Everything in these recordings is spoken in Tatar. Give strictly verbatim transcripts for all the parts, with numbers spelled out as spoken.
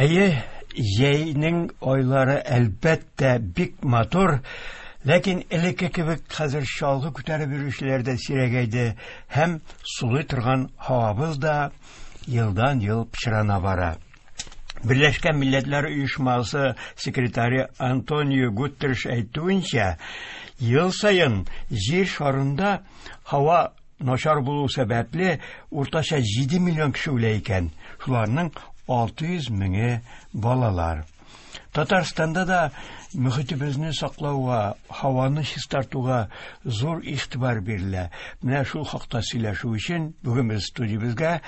Әйе, җәйнең айлары әлбәттә бик матур, ләкин элекке кебек хәзер чалгы күтәреп йөрүчеләр дә сирәгәйде һәм сулый торган һавабыз да елдан-ел пычрана бара. Берләшкән Милләтләр Оешмасы секретаре Антонио Гутерреш әйтүенчә, ел саен җир шарында һава начар булу сәбәпле уртача җиде миллион кеше үлә икән. Шуларның алты йөз меңе балалар. Татарстанда да мөхитебезне саклауга, һаваны чистартуга зур игътибар бирелә. Менә шул хакта сөйләшү өчен бүген без студиябезгә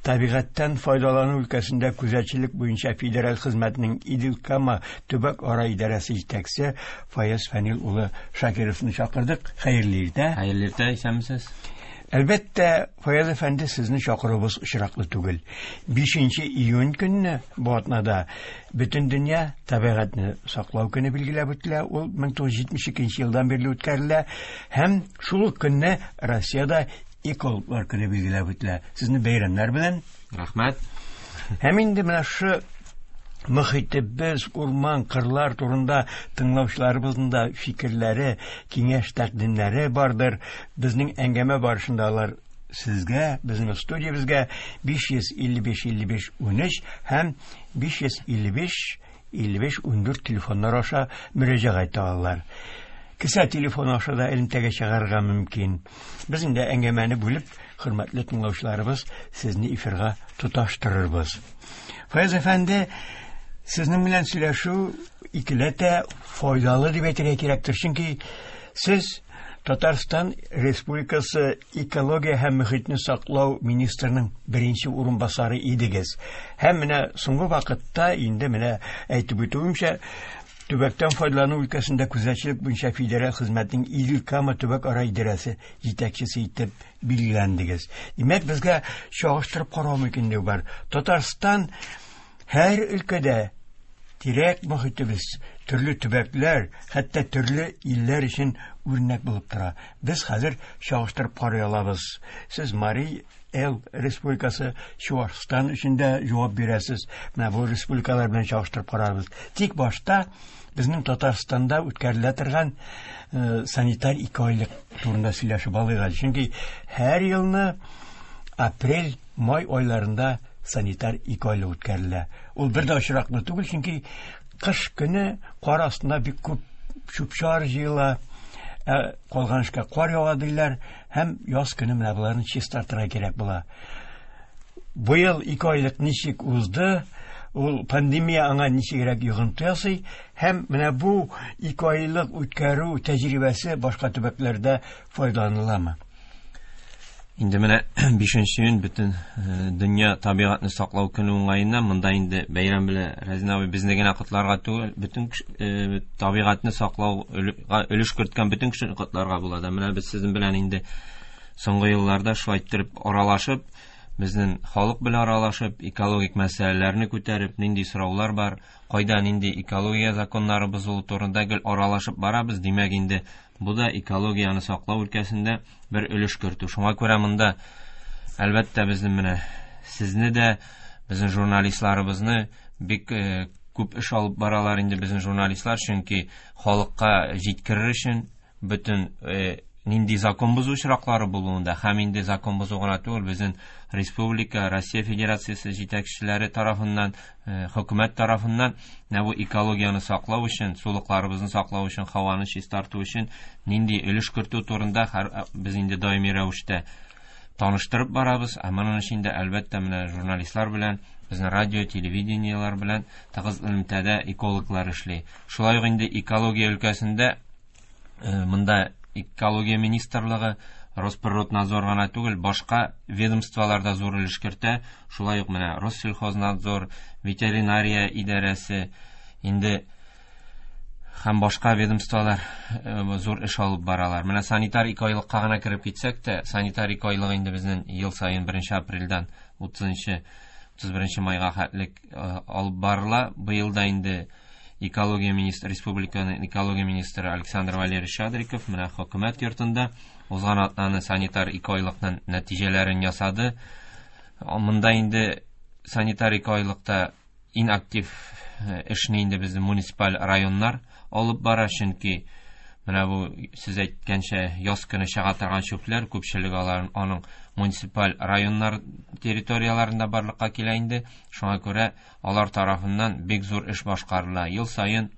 табигатьтән файдалану өлкәсендә күзәтчелек буенча федераль хезмәтнең Идел-Кама төбәк-ара идарәсе җитәкчесе Фаяз Фәнил улы Шакировны чакырдык. Хәерле иртә. Хәерле иртә, исәнмесез. Әлбәттә, Фаяз әфәнде, сезне чакыруыбыз очраклы түгел. Бишенче июнь көнне бу атнада бөтен дөнья табигатьне саклау көне билгеләп үтелә. Ул мең тугыз йөз җитмеш икенче елдан бирле үткәрелә һәм шул ук көнне Россиядә экологлар көне билгеләп үтелә. Сезне бәйрәмнәр белән. Рәхмәт. Һәм инде менә шу мөхитебез, урман, кырлар турында тыңлаучыларыбызның да фикерләре, киңәш тәкъдимнәре бардыр. Безнең әңгәмә барышында алар сезгә, безнең студиябезгә биш йөз илле биш илле биш унөч һәм биш йөз илле биш илле биш ундүрт телефоннар аша мөрәҗәгать итә алалар. Кесә телефоны аша да элемтәгә чыгарырга мөмкин. Без инде әңгәмәне бүлеп, хөрмәтле тыңлаучыларыбыз, сезне эфирга тоташтырырбыз. Фаяз әфәнде, сезнең белән сөйләшү икеләтә файдалы дип әйтергә кирәктер, чөнки сез Татарстан Республикасы экология һәм мөхитне саклау министрының беренче урынбасары идегез. Һәм менә соңгы вакытта инде менә әйтеп үтүемчә, төбәктән файдалану өлкәсендә күзәтчелек буенча федераль хезмәтнең Идел-Кама төбәк-ара идарәсе җитәкчесе итеп билгеләндегез. Димәк, безгә чагыштырып карау мөмкинлеге бар. Татарстан һәр өлкәдә Тирәк мөхитебез төрле төбәкләр, хәтта төрле илләр өчен үрнәк булып тора. Без хәзер чагыштырып карый алабыз. Сез Марий Эл республикасы, Чуашстан өчен дә җавап бирәсез. Менә бу республикалар белән чагыштырып карарбыз. Тик башта безнең Татарстанда үткәрелә торган э, санитар икеайлык турында сөйләшеп алыйк әле. Чөнки һәр елны апрель, май айларында санитар икеайлык үткәрелә. Ул бер дә очраклы түгел, чөнки кыш көне кар астында бик күп чүп-чар җыела, ә калган эшкә кар ява диләр, һәм яз көне менә боларны чистартырга кирәк була. Быел икеайлык ничек узды, ул пандемия аңа ничегрәк йогынты ясый, һәм менә бу икеайлык үткәрү тәҗрибәсе башка төбәкләрдә файдаланыламы? Инде менә бишенче июнь бөтен дөнья табигатьне саклау көне уңаеннан монда инде бәйрәм белән Разин абый безне генә котларга түгел, бөтен табигатьне саклау өлеш керткән бөтен кешене котларга була. Менә без сезнең белән инде соңгы елларда шулай иттереп аралашып, безнең халык белән аралашып, экологик мәсьәләләрне күтәреп, нинди сораулар бар, кайда нинди экология законнары бозылу турында гел аралашып барабыз. Димәк, инде бу да экологияне саклау өлкәсендә бер өлеш кертү. Шуңа күрә монда әлбәттә безнең менә сезне дә, безнең журналистларыбызны бик күп эш алып баралар инде безнең журналистлар, чөнки халыкка җиткерер өчен бөтен нинди закон бозу очраклары булуында һәм инде закон бозу гына түгел, безнең республика, Россия Федерациясе җитәкчеләре тарафыннан, хөкүмәт тарафыннан менә бу экологияне саклау өчен, сулыкларыбызны саклау өчен, һаваны чистарту өчен нинди өлеш кертү турында без инде даими рәвештә таныштырып барабыз. Ә моның өчен дә әлбәттә менә журналистлар белән, безнең радио, телевидениелар белән тыгыз элемтәдә экологлар эшли. Шулай ук инде экология өлкәсендә монда Экология министрлыгы, Росприроднадзор гына түгел, башка ведомстволарда зур өлеш кертә. Шулай ук менә Россельхознадзор, ветеринария идарәсе, инде һәм башка ведомстволар зур эш алып баралар. Менә санитар икеайлыкка гына кереп китсәк тә, санитар икеайлык инде безнең ел саен беренче апрельдән утызынчы, утыз беренче майга хәтлек алып барыла. Быел да инде Экология министры, республиканың экология министры Александр Валерьевич Шадриков менә хөкүмәт йортында узган атнаны санитар икеайлыкның нәтиҗәләрен ясады. Монда инде санитар икеайлыкта иң актив эшне инде безнең муниципаль районнар алып бара, чөнки менә бу сез әйткәнчә яз көне чыга торган чүпләр күпчелеге алар аның муниципаль районнар территорияләрендә барлыкка килә инде. Шуңа күрә алар тарафыннан бик зур эш башкарыла. Ел саен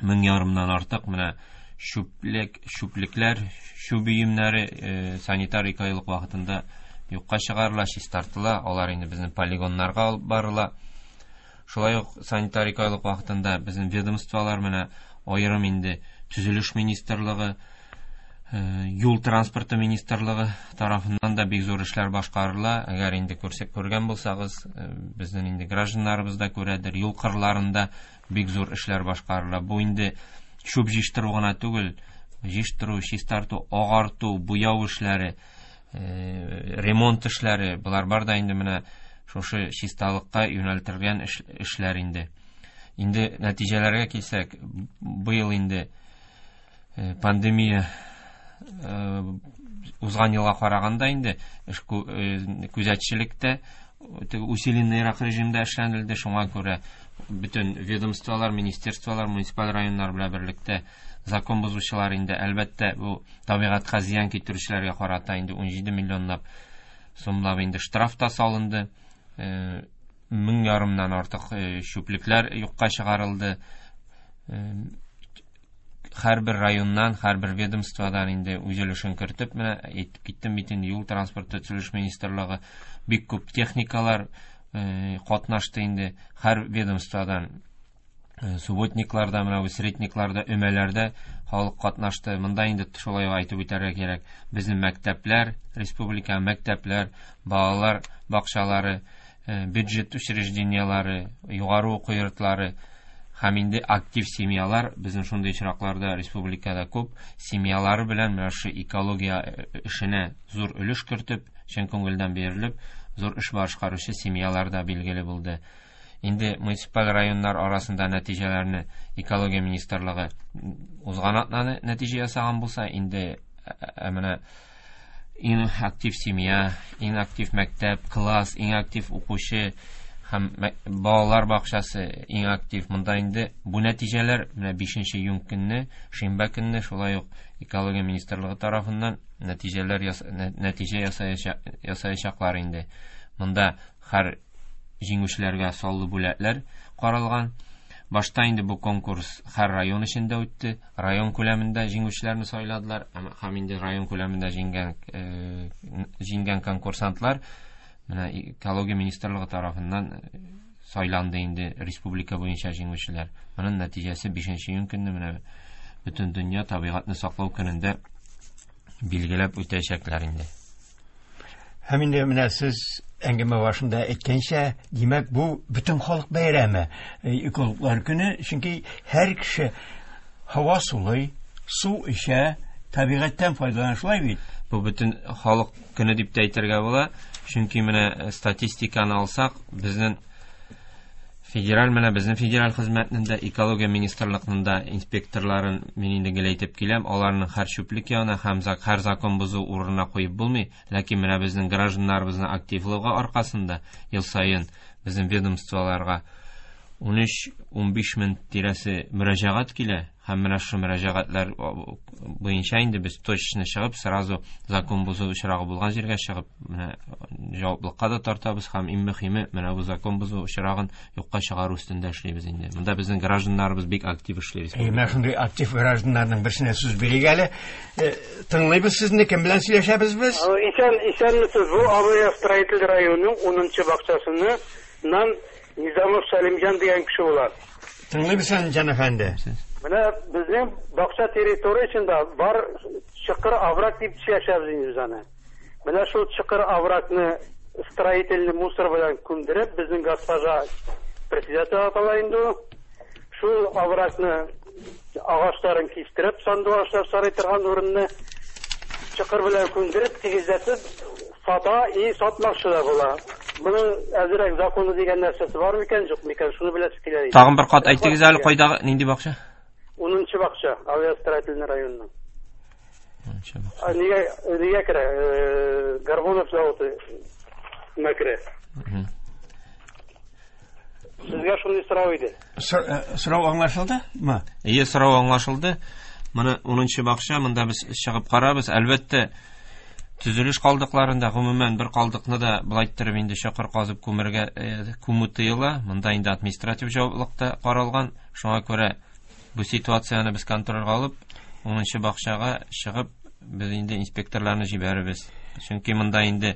мең ярымнан артык менә чүплек, чүплекләр, чүп өемнәре санитар икеайлык вакытында юкка чыгарыла, чистартыла. Алар инде безнең полигоннарга алып барыла. Шулай ук санитар икеайлык вакытында безнең ведомстволар менә аерым инде Төзелеш министрлыгы, юл транспорты министрлыгы тарафыннан да бик зур эшләр башкарыла. Әгәр инде күрсәк күргән булсагыз, безнең инде гражданнарыбыз да күрәдер, юл кырларында бик зур эшләр башкарыла. Бу инде чүп җыештыру гына түгел, җыештыру, чистарту, агарту, буяу эшләре, ремонт эшләре, болар бар да инде менә шушы чисталыкка юнәлтелгән эшләр инде. Инде нәтиҗәләргә килсәк, быел инде пандемия узган елга караганда инде күзәтчелектә усиленныйрак режимда эшләнелде. Шуңа күрә бөтен ведомстволар, министерстволар, муниципаль районнар белән берлектә закон бозучылар инде әлбәттә бу табигатькә зыян китерүчеләргә карата инде ун җиде миллионлап сумлап инде штраф та салынды. Мең ярымнан артык чүплекләр юкка чыгарылды. Һәрбер районнан, һәрбер ведомстводан инде үз өлешен кертеп, менә әйтеп киттем бит инде, юл транспорты төзелеш министрлыгы бик күп техникалар катнашты инде. Һәр ведомстводан субботникларда, менә бу средникларда, өмәләрдә халык катнашты. Монда инде шулай ук әйтеп үтәргә кирәк, безнең мәктәпләр, республика мәктәпләр, балалар бакчалары, бюджет учреждениеләре, югары уку йортлары һәм инде актив семьялар, безнең шундый очракларда республикада күп семьялары белән менә шу экология эшенә зур өлеш кертеп, чын күңелдән бирелеп, зур эш башкаручы семьялар да билгеле булды. Инде муниципаль районнар арасында нәтиҗәләрне экология министрлыгы узган атнаны нәтиҗә ясаган булса, инде менә иң актив семья, иң актив мәктәп, класс, иң актив укучы һәм балалар бакчасы иң актив. Монда инде бу нәтиҗәләр менә бишенче июнь көнне, шимбә көнне шулай ук экология министрлыгы тарафыннан нәтиҗәләр нәтиҗә ясаячаклар инде. Монда һәр җиңүчеләргә саллы бүләкләр каралган. Башта инде бу конкурс һәр район эчендә үтте. Район күләмендә җиңүчеләрне сайладылар һәм инде район күләмендә җиңгән җиңгән конкурсантлар менә экология министрлыгы тарафыннан сайланды инде республика буенча җиңүчеләр. Моның нәтиҗәсе бишенче июнь көнне менә бөтен дөнья табигатьне саклау көнендә билгеләп үтәчәкләр инде. Һәм инде менә сез әңгәмә башында әйткәнчә, димәк, бу бөтен халык бәйрәме, экологлар көне, чөнки һәр кеше һава сулый, су эчә, табигатьтән файдалана, шулай бит? Бу бөтен халык көне дип тә әйтергә була, чөнки менә статистиканы алсак, безнең федераль менә безнең федераль хезмәтнең дә, экология министрлыгының да инспекторларын мин инде гел әйтеп киләм, аларның һәр чүплек янына һәм һәр закон бозу урынына куеп булмый, ләкин менә безнең гражданнарыбызның активлыгы аркасында ел саен безнең ведомстволарга ун өч ун биш мең тирәсе мөрәҗәгать килә, һәм менә шул мөрәҗәгатьләр буенча инде без точно чыгып, сразу закон бозу очрагы булган җиргә чыгып, менә җаваплылыкка да тартабыз һәм иң мөһиме менә бу закон бозу очрагын юкка чыгару өстендә эшлибез инде. Монда безнең гражданнарыбыз бик актив эшли. Әй, менә шундый актив гражданнарның берсенә сүз бирик әле. Тыңлыйбыз сезне, кем белән сөйләшәбез без? Исән, исәнмесез. Бу Авиастроитель районының унынчы бакчасыннан Низамов Сәлимҗан дигән кеше була. Тыңлыйбыз, Сәлимҗан әфәнде. Менә безнең бакча территориясендә бар чокыр овраг дип сөйләшәбез инде без аны. Менә шул чокыр оврагны строительный мусор белән күмдереп, безнең госпожа председатель атала инде ул. Шул оврагны агачларын кистереп, сандугачлар сарый торган урынны чокыр белән күмдереп, тигезләтеп сата и сатмакчы да була. Моның әзерәк законы дигән нәрсәсе бар микән, юк микән, шуны беләсе килә. Тагын бер кат әйтегез әле, кайдагы нинди бакча? Унынчы бакча, Авиастроительный районының. Унынчы бакча. Нигә, нигә керә? Горбунов заводы керә. Сезгә шундый сорау иде. Сорау аңлашылдымы? Әйе, сорау аңлашылды. Моны унынчы бакча, монда без чыгып карабыз. Әлбәттә, төзелеш калдыкларында гомумән бер калдыкны да былай иттереп инде чокыр казып күмергә күмү тыела. Монда инде административ җаваплылык та каралган. Шуңа күрә бу ситуацияне без контрольгә алып, унынчы бакчага чыгып, без инде инспекторларны җибәрәбез. Чөнки монда инде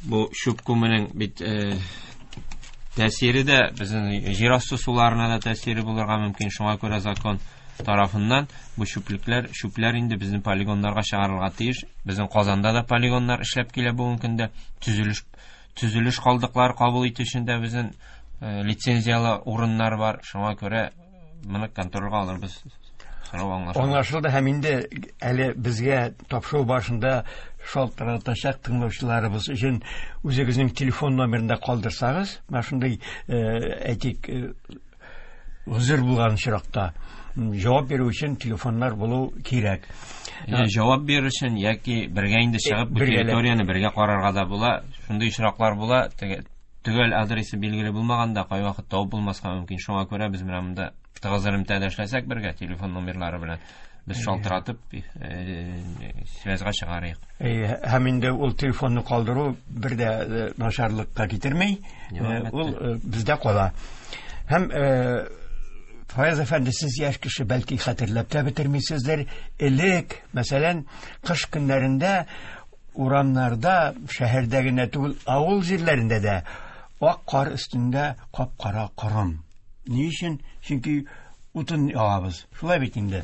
бу чүп күмүнең бит тәэсире дә безнең җир асты суларына да тәэсире булырга мөмкин. Шуңа күрә закон тарафыннан бу чүплекләр, чүпләр инде безнең полигоннарга чыгарылырга тиеш. Безнең Казанда да полигоннар эшләп килә бүгенге көндә. Төзелеш, төзелеш калдыклары кабул итү өчен дә безнең лицензиялы урыннар бар. Шуңа күрә моны контрольгә алырбыз. Сорау аңлашылды. Аңлашылды һәм инде әле безгә тапшыру башында шалтыратачак тыңлаучыларыбыз өчен үзегезнең телефон номерын да калдырсагыз, менә шундый, әйтик, гозер булган очракта җавап бирү өчен телефоннар булу кирәк. Җавап бирү өчен яки бергә инде чыгып бу территорияне бергә карарга да була. Шундый очраклар була. Төгәл адресы билгеле булмаганда кайвакыт табып булмаска мөмкин. Шуңа күрә без менә монда тыгыз элемтәдә эшләсәк бергә телефон номерлары белән без шалтыратып связьга чыгарыйк. Һәм инде ул телефонны калдыру бер дә начарлыкка китермей, ул бездә кала. Һәм Фаяз әфәнде, сез яшь кеше, бәлки хәтерләп тә бетермисездер. Элек, мәсәлән, кыш көннәрендә урамнарда, шәһәрдә генә түгел, авыл җирләрендә дә ак кар өстендә кап-кара корым. Ни өчен? Чөнки утын ягабыз. Шулай бит инде.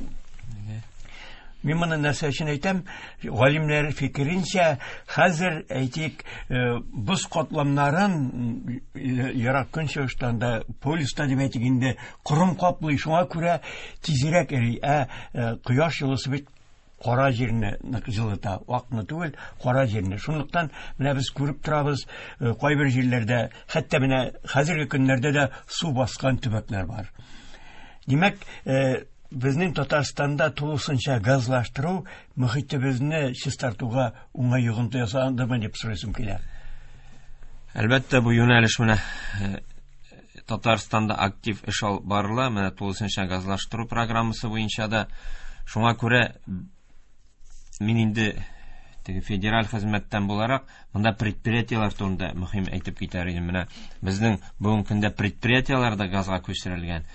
Мин моны нәрсә өчен әйтәм? Галимнәр фикеренчә, хәзер әйтик, боз катламнарын ерак көнчыгыштан да, полюста дип әйтик инде, корым каплый, шуңа күрә тизрәк эри. Ә кояш җылысы бит кара җирне нык җылыта, акны түгел, кара җирне. Шунлыктан менә без күреп торабыз, кайбер җирләрдә, хәтта менә хәзерге көннәрдә дә су баскан төбәкләр бар. Димәк, безнең Татарстанда тулысынча газлаштыру мөхитебезне чистартуга уңай йогынты ясадымы дип сорыйсым килә. Әлбәттә, бу юнәлеш менә Татарстанда актив эш алып барыла, менә тулысынча газлаштыру программасы буенча да. Шуңа күрә мин инде теге федераль хезмәттән буларак монда предприятиеләр турында мөһим әйтеп китәр идем. Менә безнең бүгенге көндә предприятиеләр дә газга күчерелгән.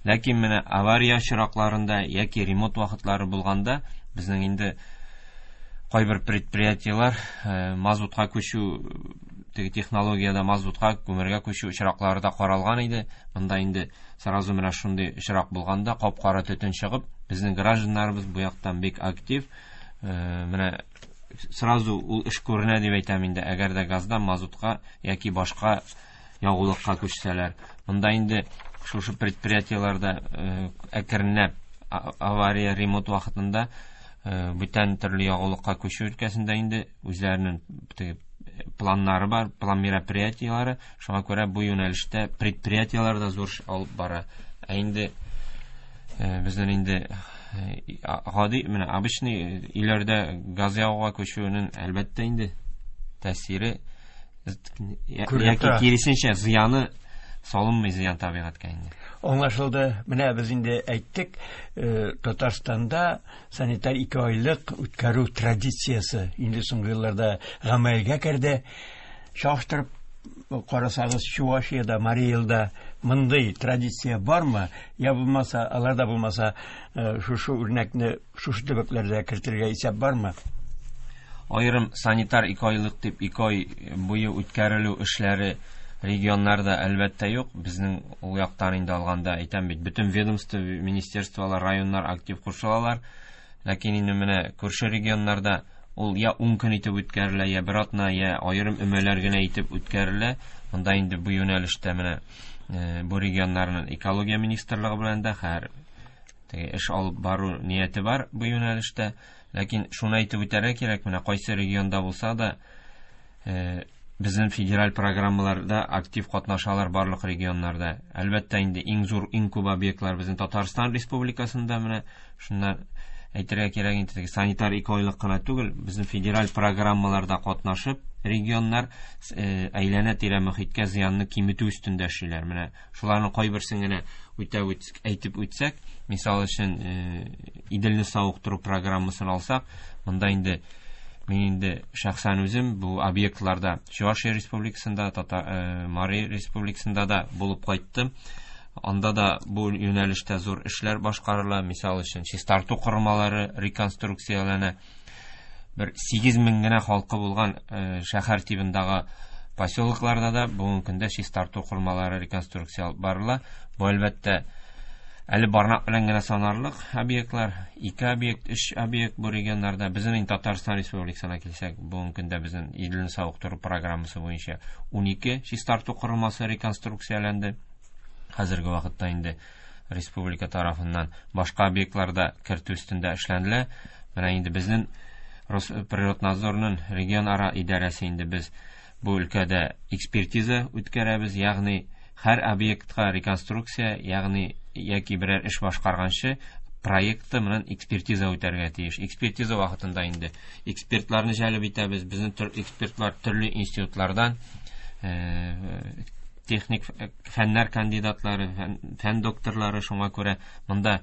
Ләкин менә авария очракларында яки ремонт вакытлары булганда безнең инде кайбер предприятиеләр мазутка күчү, теге технологиядә мазутка, күмергә күчү очраклары да каралган иде. Монда инде сразу менә шундый очрак булганда кап-кара төтен чыгып, безнең гражданнарыбыз бу яктан бик актив. Менә сразу ул эш күренә дип әйтәм инде, әгәр дә газдан мазутка яки башка ягулыкка күчсәләр. Монда инде шушы предприятиеләрдә әкренләп авария ремонт вакытында бүтән төрле ягулыкка күчү өлкәсендә инде үзләренең теге планнары бар, план мероприятиеләре. Шуңа күрә бу юнәлештә предприятиеләр дә зур эш алып бара. Ә инде безнең инде гади, менә обычный өйләрдә газ ягуга күчүнең әлбәттә инде тәэсире яки киресенчә зыяны салынмый, зыян табигатькә инде. Аңлашылды. Менә без инде әйттек, Татарстанда санитар ике айлык үткәрү традициясе инде соңгы елларда гамәлгә керде. Чагыштырып карасагыз, Чувашиядә, Марий Элда мондый традиция бармы? Я булмаса, аларда булмаса, шушы үрнәкне шушы төбәкләрдә кертергә исәп бармы? Аерым санитар ике айлык дип ике ай буе үткәрелү эшләре регионнарда әлбәттә юк. Безнең ул яктан инде алганда әйтәм бит, бөтен ведомство, министерстволар, районнар актив кушылалар. Ләкин инде менә күрше регионнарда ул я ун көн итеп үткәрелә, я бер атна, я аерым өмәләр генә итеп үткәрелә. Монда инде бу юнәлештә менә бу регионнарның экология министрлыгы белән дә хәр теге эш алып бару нияте бар бу юнәлештә. Ләкин шуны әйтеп үтәргә кирәк, менә кайсы регионда булса да безнең федераль программаларда актив катнашалар барлык регионнарда. Әлбәттә инде иң зур, иң күп объектлар безнең Татарстан Республикасында. Менә шуннан әйтергә кирәк инде, санитар ике айлык кына түгел, безнең федераль программаларда катнашып регионнар әйләнә-тирә мөхиткә зыянны киметү өстендә эшлиләр. Менә шуларның кайберсен генә үтә әйтеп үтсәк, мисал өчен Иделне савыктыру программасын алсак, монда инде мин инде шәхсән үзем бу объектларда Чувашия Республикасында, Татар Мари Республикасында да булып кайттым. Анда да бу юнәлештә зур эшләр башкарыла. Мисал өчен, чистарту корылмалары реконструкцияләнә. Бер сигез мең генә халкы булган шәһәр тибындагы поселокларда да бүгенге көндә чистарту корылмалары реконструкция алып барыла. Бу әлбәттә әле бармак белән генә санарлык объектлар, ике объект, өч объект бу регионнарда. Безнең инде Татарстан Республикасына килсәк, бүгенге көндә безнең Иделне савыктыру программасы буенча ун ике чистарту корылмасы реконструкцияләнде. Хәзерге вакытта инде республика тарафыннан башка объектларда кертү өстендә эшләнелә. Менә инде безнең Росприроднадзорның регионара идарәсе инде без бу өлкәдә экспертиза үткәрәбез, ягъни һәр объектка реконструкция, ягъни яки берәр эш башкарганчы проекты менән экспертиза үтәргә тиеш. Экспертиза вакытында инде экспертларны җәлеп итәбез. Безнең экспертлар төрле институтлардан, техник фәннәр кандидатлары, фән докторлары, шуңа күрә монда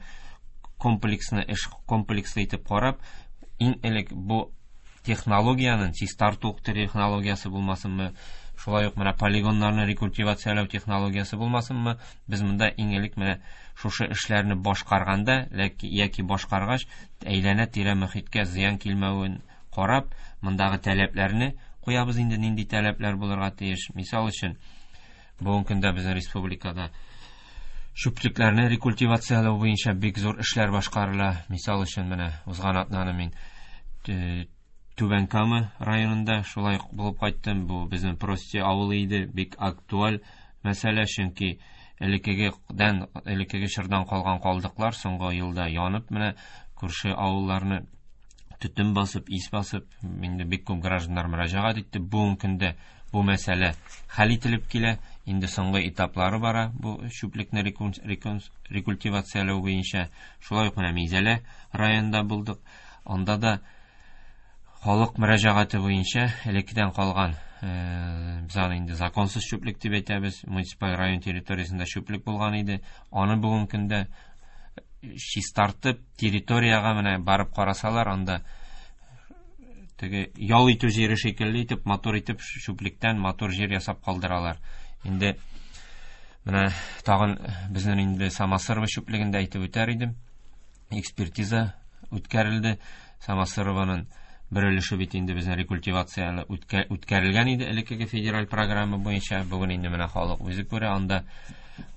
комплекслы эш комплекслы итеп карап, иң элек бу технологиянең чистарту технологиясе булмасынмы, шулай ук менә полигоннарны рекультивацияләү технологиясе булмасынмы, без монда иң элек менә шушы эшләрне башкарганда яки башкаргач әйләнә-тирә мөхиткә зыян килмәвен карап, мондагы таләпләрне куябыз инде, нинди таләпләр булырга тиеш. Мисал өчен, бүгенге көндә безнең республикада чүплекләрне рекультивацияләү буенча бик зур эшләр башкарыла. Мисал өчен, менә узган атнаны мин Түбән Кама районында шулай булып кайттым. Бу безнең Прости авылы иде, бик актуаль мәсьәлә, чөнки элеккегедән, элеккеге чордан калган калдыклар соңгы елда янып, менә күрше авылларны Төтен басып, ис басып, инде бик күп гражданнар мөрәҗәгать итте. Бүгенге көндә бу мәсьәлә хәл ителеп килә. Инде соңгы этаплары бара бу чүплекне рекультивацияләү буенча. Шулай ук менә Минзәлә районында булдык. Анда да халык мөрәҗәгате буенча элеккедән калган, без аны инде законсыз чүплек дип әйтәбез, муниципаль район территориясендә чүплек булган иде. Аны бүгенге көндә чистартып, территориягә менә барып карасалар, анда теге ял итү җире шикелле итеп, матур итеп чүплектән матур җир ясап калдыралар. Инде менә тагын безнең инде Самосырово чүплегендә әйтеп үтәр идем. Экспертиза үткәрелде. Самосырованың бер өлеше бит инде безнең рекультивация үткәрелгән иде элеккеге федераль программа буенча. Бүген инде менә халык үзе күрә, анда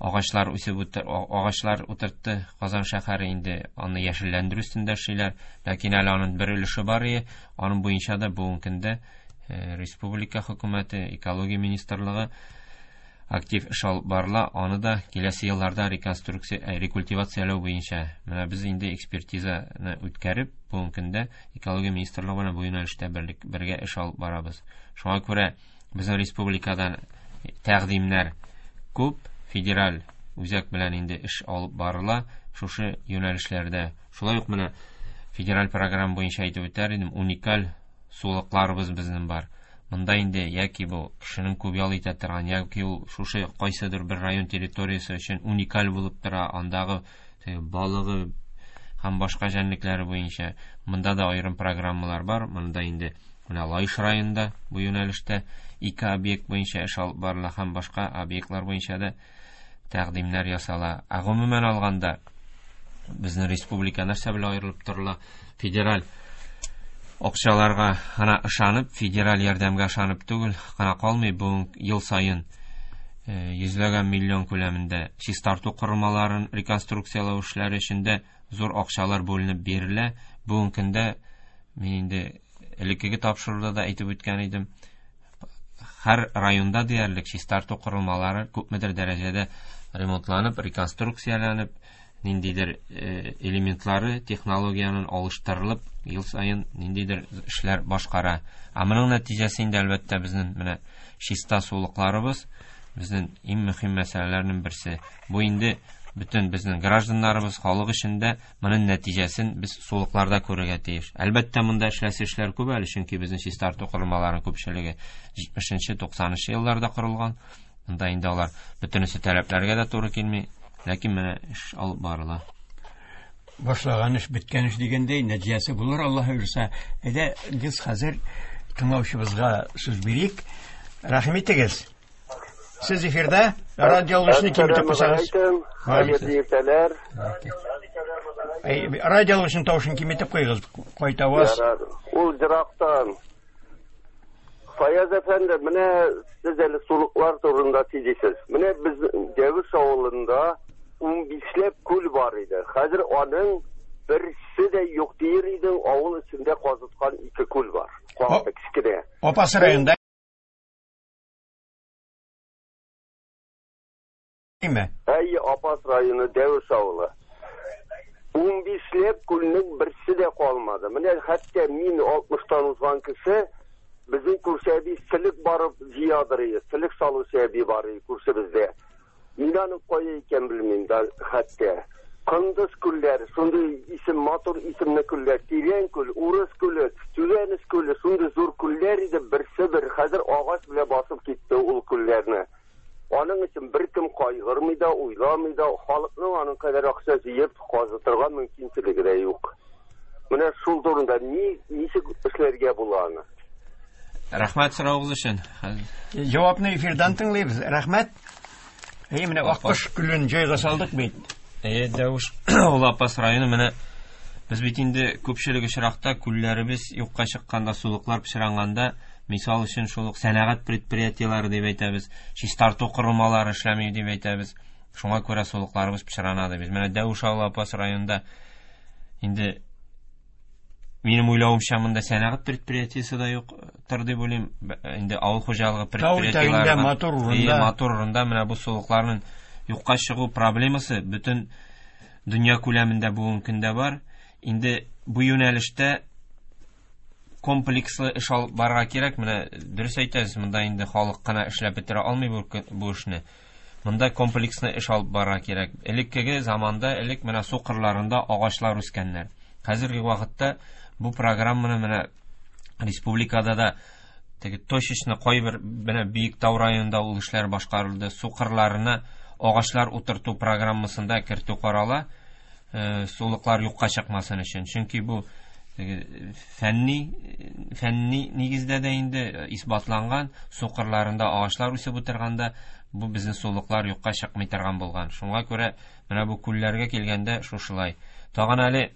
агачлар үсеп үтер, агачлар утыртты Казан шәһәре, инде аны яшелләндерү өстендә эшлиләр. Ләкин әле аның бер өлеше бар иде. Аның буенча да бүгенге көндә республика хөкүмәте, экология министрлыгы актив эш алып барыла. Аны да киләсе елларда реконструкция, рекультивацияләү буенча менә без инде экспертизаны үткәреп, бүгенге көндә экология министрлыгы белән бу юнәлештә бергә эш алып барабыз. Шуңа күрә безнең республикадан тәкъдимнәр күп, федераль үзәк белән инде эш алып барыла шушы юнәлешләрдә. Шулай ук менә федераль программа буенча әйтеп үтәр идем, уникаль сулыкларыбыз безнең бар. Монда инде яки бу кешенең күп ял итә торган, яки ул шушы кайсыдыр бер район территориясе өчен уникаль булып тора, андагы балыгы һәм башка җәнлекләре буенча монда да аерым программалар бар. Монда инде менә Лаеш районында бу юнәлештә ике объект буенча эш алып барыла һәм башка объектлар буенча да тәкъдимнәр ясала. Ә гомумән алганда безнең республика нәрсә белән аерылып торыла? Федераль акчаларга гына ышанып, федераль ярдәмгә ышанып түгел, гына калмый, бу ел саен йөзләгән миллион күләмендә чистарту корылмаларын реконструкцияләү эшләре өчен дә зур акчалар бүленеп бирелә. Бүгенге көндә мин инде элеккеге тапшыруда да әйтеп үткән идем, һәр районда диярлек чистарту корылмалары күпмедер дәрәҗәдә ремонтланып, реконструкцияләнеп, ниндидер элементлары технологиянең алыштырылып, ел саен ниндидер эшләр башкара. Ә моның нәтиҗәсе инде әлбәттә безнең менә чиста сулыкларыбыз безнең иң мөһим мәсьәләләрнең берсе. Бу инде бөтен безнең гражданнарыбыз, халык өчен дә моның нәтиҗәсен без сулыкларда күрергә тиеш. Әлбәттә, монда эшләсе эшләр күп әле, чөнки безнең чистарту корылмаларының күпчелеге җитмешенче, туксанынчы елларда корылган. Монда инде алар бөтенесе таләпләргә дә туры килми, ләкин менә эш алып барыла. Башлаган эш беткән эш дигәндәй, нәтиҗәсе булыр, Аллаһ боерса. Әйдә, без хәзер тыңлаучыбызга сүз бирик. Рәхим итегез. Сез эфирда, радио алгычны киметеп куйсагыз. Хәерле иртәләр. Радио алгычның тавышын киметеп куйыгыз, кайтаваз. Ул ерактан. Фаяз әфәнде, менә сез әле сулыклар турында сөйлисез. Менә без Дәвеш авылында унбишләп күл бар иде. Хәзер аның берсе дә юк дияр идең, авыл эчендә казыткан ике күл бар. Кечкенә. Апас районында. Әй, Апас районы, Дәвеш авылы. Унбишләп күлнең берсе дә калмады. Менә хәтта мин алтмыштан узган кеше, безнең күрше әби селек барып җыядыр иде. Селек салучы әби бар иде күршебездә. Мин аның кая икән белмим дә хәтта. Кындыз күлләре, шундый исем, матур исемле күлләр, Тирән күл, Урыс күле, Түбәнес күле, шундый зур күлләр иде, берсе бер хәзер агач белән басып китте ул күлләрне. Аның өчен беркем кайгырмый да, уйламый да, халыкның аның кадәр акча җыеп казытырга мөмкинчелеге дә юк. Менә шул турында ни ничек эшләргә була аны? Рәхмәт соравыгыз өчен. Җавапны эфирдан тыңлыйбыз. Рәхмәт. Әй, менә Аккош күлен җайга салдык бит. Әй, Дәвеш ул Апас районы менә без бит инде күпчелек очракта күлләребез юкка чыкканда, сулыклар пычранганда, мисал өчен шул ук сәнәгать предприятиеләре дип әйтәбез, чистарту корылмалары эшләми дип әйтәбез. Шуңа күрә сулыкларыбыз пычрана дибез. Менә Дәвеш авылы Апас районында инде минем уйлавымча монда сәнәгать предприятиесе дә юктыр дип уйлыйм. Инде авыл хуҗалыгы предприятиеләре матур урында, матур урында менә бу сулыкларның юкка чыгу проблемасы бөтен дөнья күләмендә бүгенге көндә бар. Инде бу юнәлештә комплекслы эш алып барырга кирәк. Менә дөрес әйтәсез, монда инде халык кына эшләп бетерә алмый бу, бу эшне. Монда комплекслы эш алып барырга кирәк. Элеккеге заманда элек менә су кырларында агачлар үскәннәр. Хәзерге вакытта бу программаны менә республикада да теге точечно кайбер менә Биектау районында ул эшләр башкарылды. Су кырларына агачлар утырту программасында кертү карала, э, сулыклар юкка чыкмасын өчен. Чөнки бу теге фәнни фәнни нигездә дә инде исбатланган, су кырларында агачлар үсеп утырганда бу безнең сулыклар юкка чыкмый торган булган. Шуңа күрә менә бу күлләргә килгәндә шушылай. Тагын әле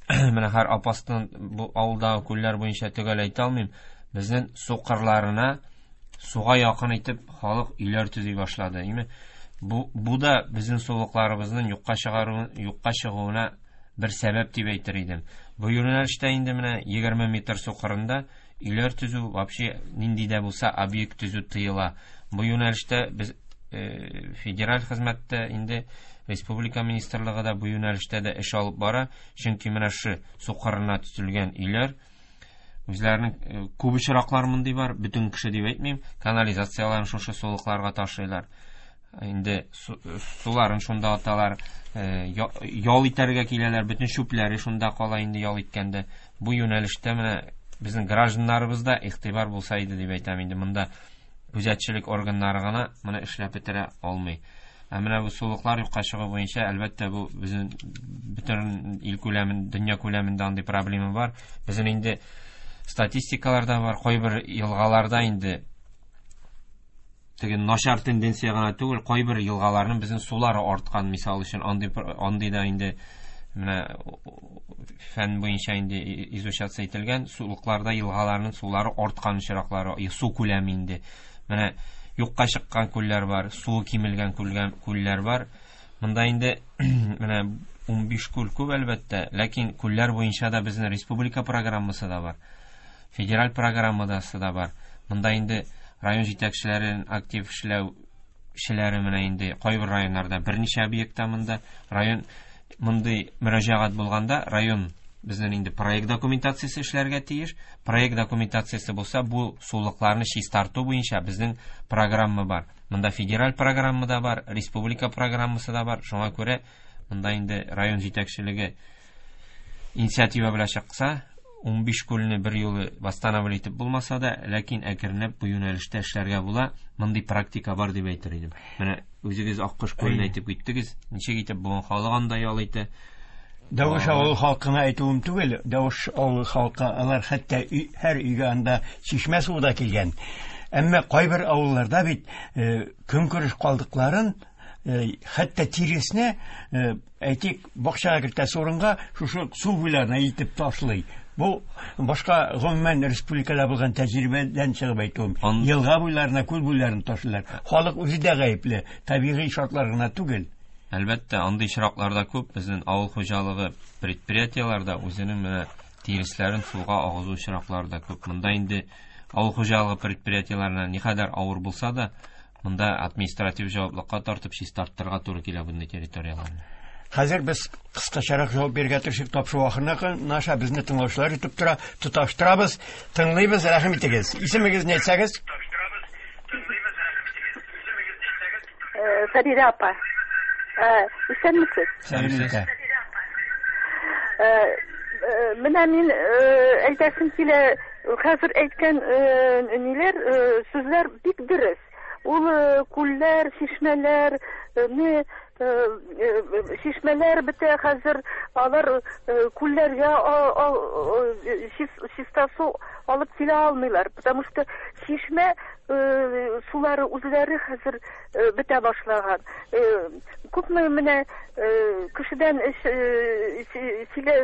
менә һәр Апастан бу авылдагы күлләр буенча төгәл әйтә алмыйм. Безнең су кырларына суга якын итеп халык өйләр төзи башлады. Име? Бу бу да безнең сулыкларыбызның юкка чыгаруы, юкка чыгуына бер сәбәп дип әйтер идем. Бу юнәлештә инде менә егерме метр су кырында өйләр төзү, вообще нинди дә булса объект төзү тыела. Бу юнәлештә без э, федераль хезмәттә инде республика министрлыгы да бу юнәлештә дә эш алып бара. Чөнки менә шу су кырына төзелгән өйләр үзләренең э, күп очраклар мондый бар, бөтен кеше дип әйтмим, канализацияларын шушы сулыкларга ташыйлар. Инде суларын шунда аталар, э, ял итәргә киләләр, бөтен чүпләре шунда кала инде ял иткәндә. Бу юнәлештә менә безнең гражданнарыбызда игътибар булса иде дип әйтәм инде. Монда күзәтчелек органнары гына моны эшләп бетерә алмый. Ә менә бу сулыклар юкка чыгу буенча, әлбәттә, бу безнең бөтен ил күләмен, дөнья күләмендә андый проблема бар. Безнең инде статистикаларда бар, кайбер елгаларда инде теге начар тенденция гына түгел, кайбер елгаларның безнең сулары арткан, мисал өчен, андый андый да инде менә фән буенча инде изучаться ителгән, сулыкларда елгаларның сулары арткан очраклары, су күләме инде. Менә юкка чыккан күлләр бар, суы кимелгән күлләр бар. Монда инде менә унбиш күл күп әлбәттә, ләкин күлләр буенча да безнең республика программасы да бар, федераль программасы да бар. Монда инде район җитәкчеләрен актив эшләүчеләре менә инде кайбер районнарда берничә объектта монда район мондый мөрәҗәгать булганда район безнең инде проект документациясе эшләргә тиеш. Проект документациясе булса, бу сулыкларны чистарту буенча безнең программа бар. Монда федераль программа да бар, республика программасы да бар. Шуңа күрә монда инде район җитәкчелеге инициатива белән чыкса, унбиш күлне бер юлы восстановить итеп булмаса да, ләкин әкренләп бу юнәлештә эшләргә була. Мондый практика бар дип әйтер идем. Менә үзегез Аккош күлен әйтеп киттегез. Ничек итеп бүген халык анда ял итә? Дәвеш авылы халкына әйтүем түгел, Дәвеш авылы халкы алар хәтта һәр өйгә анда чишмә суы да килгән. Әмма кайбер авылларда бит көнкүреш калдыкларын, хәтта тиресне, әйтик, бакчага кертәсе урынга шушы су буйларына илтеп ташлый. Бу башка гомумән республикада булган тәҗрибәдән чыгып әйтүем. Елга буйларына, күл буйларына ташлыйлар. Халык үзе дә гаепле, табигый шартлар гына түгел. Әлбәттә, андый очракларда күп. Безнең авыл хуҗалыгы предприятиеләрдә үзенең менә тиресләрен суга агызу очраклары да күп. Монда инде авыл хуҗалыгы предприятиеләренә никадәр авыр булса да, монда административ җаваплылыкка тартып чистарттырырга туры килә bunday территорияләрне. Хәзер без кыскачарак җавап бирергә тырышып тапшыру ахырына наша безне тыңлаучылар итеп тора, тоташтырабыз, тыңлыйбыз, рәхим итегез. Исемегезне әйтсәгез? Фәридә апа. Исәнмесез? Сәләмәтсез. Менә мин әйтәсем килә, хәзер әйткән ниләр, сүзләр бик дөрес. Ул күлләр, чишмәләр, не чишмәләр бетә хәзер, алар күлләргә чиста су алып килә алмыйлар, потому что чишмә сулары үзләре хәзер бетә башлаган. Күпме менә кешедән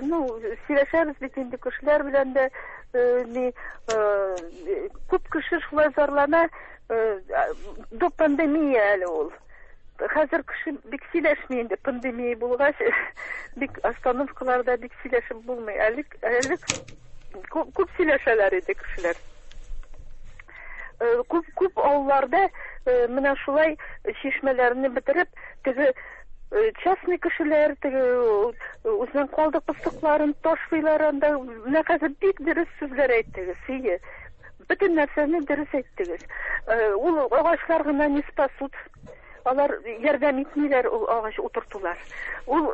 ну сөйләшәбез бит инде кешеләр белән дә, күп кеше шулай зарлана, до пандемия әле ул. Хәзер кеше бик сөйләшми инде, пандемия булгач, бик остановкаларда бик сөйләшеп булмый. Әле әле күп сөйләшәләр иде кешеләр. Күп күп авылларда менә шулай чишмәләрне бетереп, теге частный кешеләр, теге Үзенең калдык пыстыкларын ташлыйлар анда. Менә хәзер бик дөрес сүзләр әйттегез, сие. Бөтен нәрсәне дөрес әйттегез. Ул агачлар гына не спасут. Алар ярдәм итмиләр ул агач утыртулар. Ул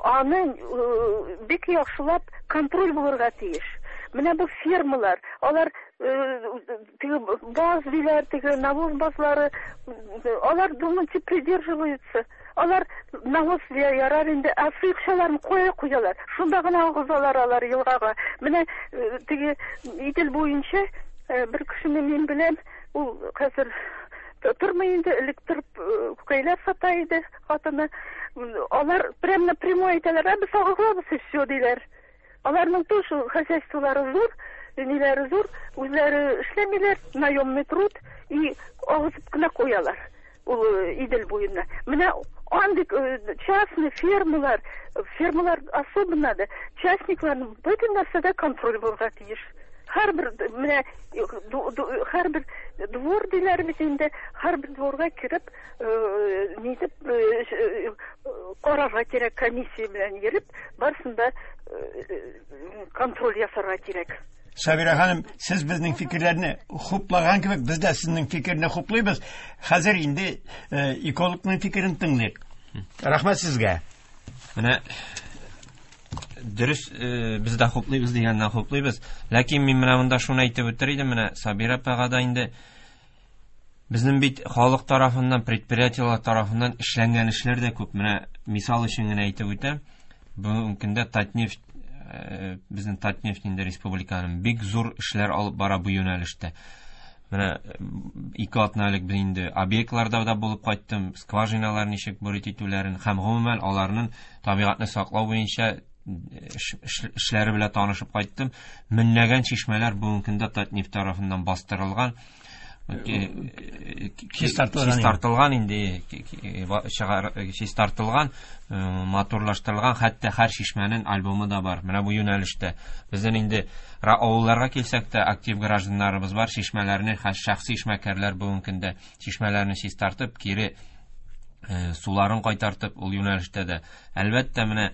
аны бик яхшылап контроль булырга тиеш. Менә бу фермалар, алар теге баз диләр, теге навоз базлары, алар думайте придерживаются. Алар навоз ярар инде, ә сыекчаларын куя куялар. Шунда гына агызалар алар елгага. Менә теге Идел буенча бер кешене мин беләм, ул хәзер тормый инде, элек торып күкәйләр сата иде хатыны. Алар прямо напрямую әйтәләр, ә без агызабыз и все диләр. Аларның тоже хозяйстволары зур, ниләре зур, үзләре эшләмиләр, наемный труд, и агызып кына куялар ул Идел буена. Менә андый частный фермалар, фермалар особенно да, частникларның бөтен нәрсәдә контроль булырга тиеш. Һәрбер менә һәрбер двор диләр бит инде, һәрбер дворга кереп, нитеп карарга кирәк, комиссия белән йөреп, барысын да контроль ясарга кирәк. Сабира ханым, сез безнең фикерләрне хуплаган кебек, без дә сезнең фикерне хуплыйбыз. Хәзер инде экологның фикерен тыңлыйк. Рәхмәт сезгә. Менә дөрес, без дә хуплыйбыз дигәннән хуплыйбыз. Ләкин мин менә монда шуны әйтеп үтер идем, менә Сабира апага да инде безнең бит халык тарафыннан, предприятиеләр тарафыннан эшләнгән эшләр дә күп. Менә мисал өчен генә әйтеп үтәм. Бүгенге көндә Татнефть, безнең Татнефть инде республиканың бик зур эшләр алып бара бу юнәлештә. Менә ике атна элек без инде объектларда да булып кайттым, скважиналар ничек бурить итүләрен һәм гомумән аларның табигатьне саклау буенча эшләре белән танышып кайттым. Меңләгән чишмәләр бүгенге көндә Татнефть тарафыннан бастырылган, чистартылган инде, чистартылган, матурлаштырылган, хәтта һәр чишмәнең альбомы да бар. Менә бу юнәлештә безнең инде авылларга килсәк тә актив гражданнарыбыз бар, чишмәләрне шәхси эшмәкәрләр бүгенге көндә чишмәләрне чистартып, кире суларын кайтартып, ул юнәлештә дә әлбәттә менә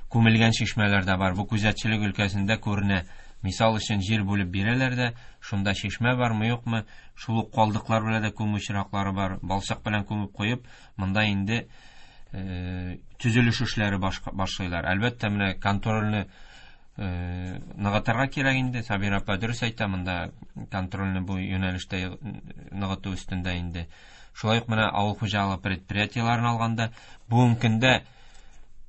күмелгән чишмәләр дә бар. Бу күзәтчелек өлкәсендә күренә. Мисал өчен җир бүлеп бирәләр дә, шунда чишмә бармы, юкмы, шул ук калдыклар белән дә күмү очраклары бар. Балчык белән күмеп куеп, монда инде төзелеш эшләре башлыйлар. Әлбәттә, менә контрольне ныгытырга кирәк инде. Сабира апа дөрес әйтә, монда контрольне бу юнәлештә ныгыту өстендә инде. Шулай ук менә авыл хуҗалыгы предприятиеләрен алганда, бүгенге көндә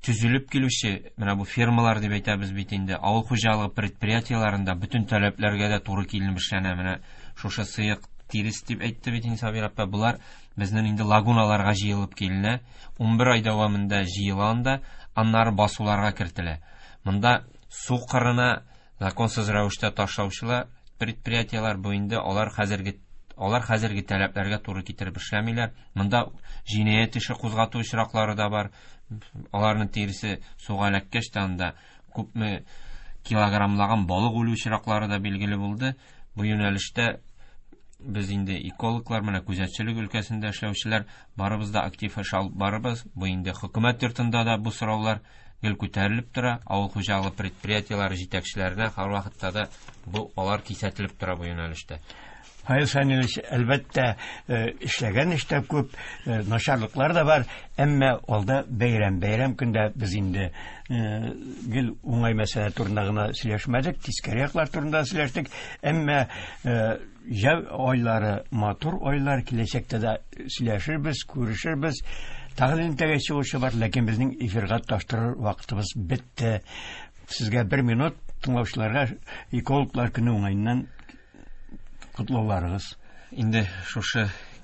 төзелеп килүче, менә бу фермалар дип әйтәбез бит инде, авыл хуҗалыгы предприятиеләрендә бөтен таләпләргә дә туры килеп эшләнә. Менә шушы сыек тирес дип әйтте бит инде Сабира апа, булар безнең инде лагуналарга җыелып киленә, унбер ай дәвамында җыела анда, аннары басуларга кертелә. Монда су кырына законсыз рәвештә ташлаучылар предприятиеләр бу инде алар хәзерге алар хәзерге таләпләргә туры китереп эшләмиләр. Монда җинаять эше кузгату очраклары да бар. Аларның тиресе суга эләккәч тә анда күпме килограммлаган балык үлү очраклары да билгеле булды. Бу юнәлештә без инде экологлар, менә күзәтчелек өлкәсендә эшләүчеләр барыбыз да актив эш алып барабыз. Бу инде хөкүмәт йортында да бу сораулар гел күтәрелеп тора. Авыл хуҗалыгы предприятиеләре җитәкчеләренә һәрвакытта да бу алар кисәтелеп тора бу юнәлештә. Фаил Санилович, әлбәттә, эшләгән эштә күп, начарлыклар да бар, әмма алда бәйрәм, бәйрәм көндә без инде гел уңай мәсьәлә турында гына сөйләшмәдек, тискәре яклар турында сөйләштек, әмма җәй айлары матур айлар, киләчәктә дә сөйләшербез, күрешербез. Тагын элемтәгә чыгучы бар, ләкин безнең эфирга таштырыр вакытыбыз бетте. Сезгә бер минут, тыңлаучыларга экологлар көне уңаеннан котлауларыгыз. Инде шушы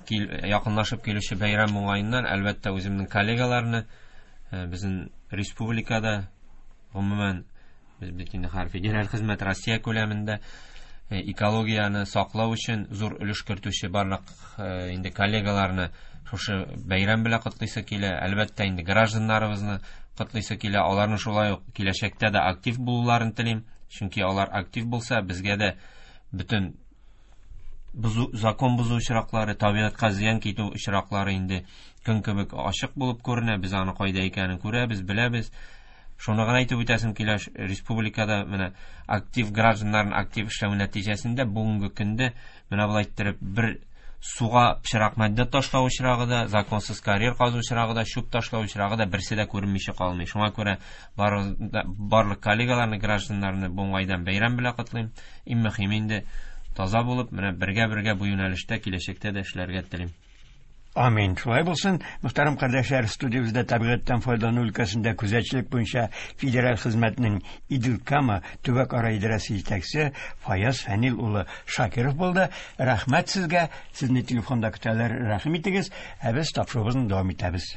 якынлашып килүче бәйрәм уңаеннан әлбәттә үземнең коллегаларны, безнең республикада, гомумән без бит инде һәр федераль хезмәт Россия күләмендә экологияне саклау өчен зур өлеш кертүче барлык инде коллегаларны шушы бәйрәм белән котлыйсы килә. Әлбәттә инде гражданнарыбызны котлыйсы килә. Аларны шулай ук киләчәктә дә актив булуларын телим. Чөнки алар актив булса, безгә дә бөтен бозу, закон бозу очраклары, табигатькә зыян китү очраклары инде көн кебек ачык булып күренә. Без аны кайда икәнен күрәбез, беләбез. Шуны гына әйтеп үтәсем килә, республикада менә актив гражданнарның актив эшләве нәтиҗәсендә бүгенге көндә менә болай иттереп бер суга пычрак матдә ташлау очрагы да, законсыз карьер казу очрагы да, чүп ташлау очрагы да берсе дә күренмичә калмый. Шуңа күрә барлык коллегаларны, гражданнарны бу уңайдан бәйрәм белән котлыйм. Иң мөһиме инде таза булып, менә бергә-бергә бу юнәлештә киләчәктә дә эшләргә телим. Амин. Шулай булсын. Мөхтәрәм кардәшләр, студиябездә табигатьтән файдалану өлкәсендә күзәтчелек буенча федераль хезмәтнең Идел-Кама төбәк-ара идарәсе җитәкчесе Фаяз Фәнил улы Шакиров булды. Рәхмәт сезгә. Сезне телефонда көтәләр. Рәхим итегез. Ә без тапшыруыбызны дәвам итәбез.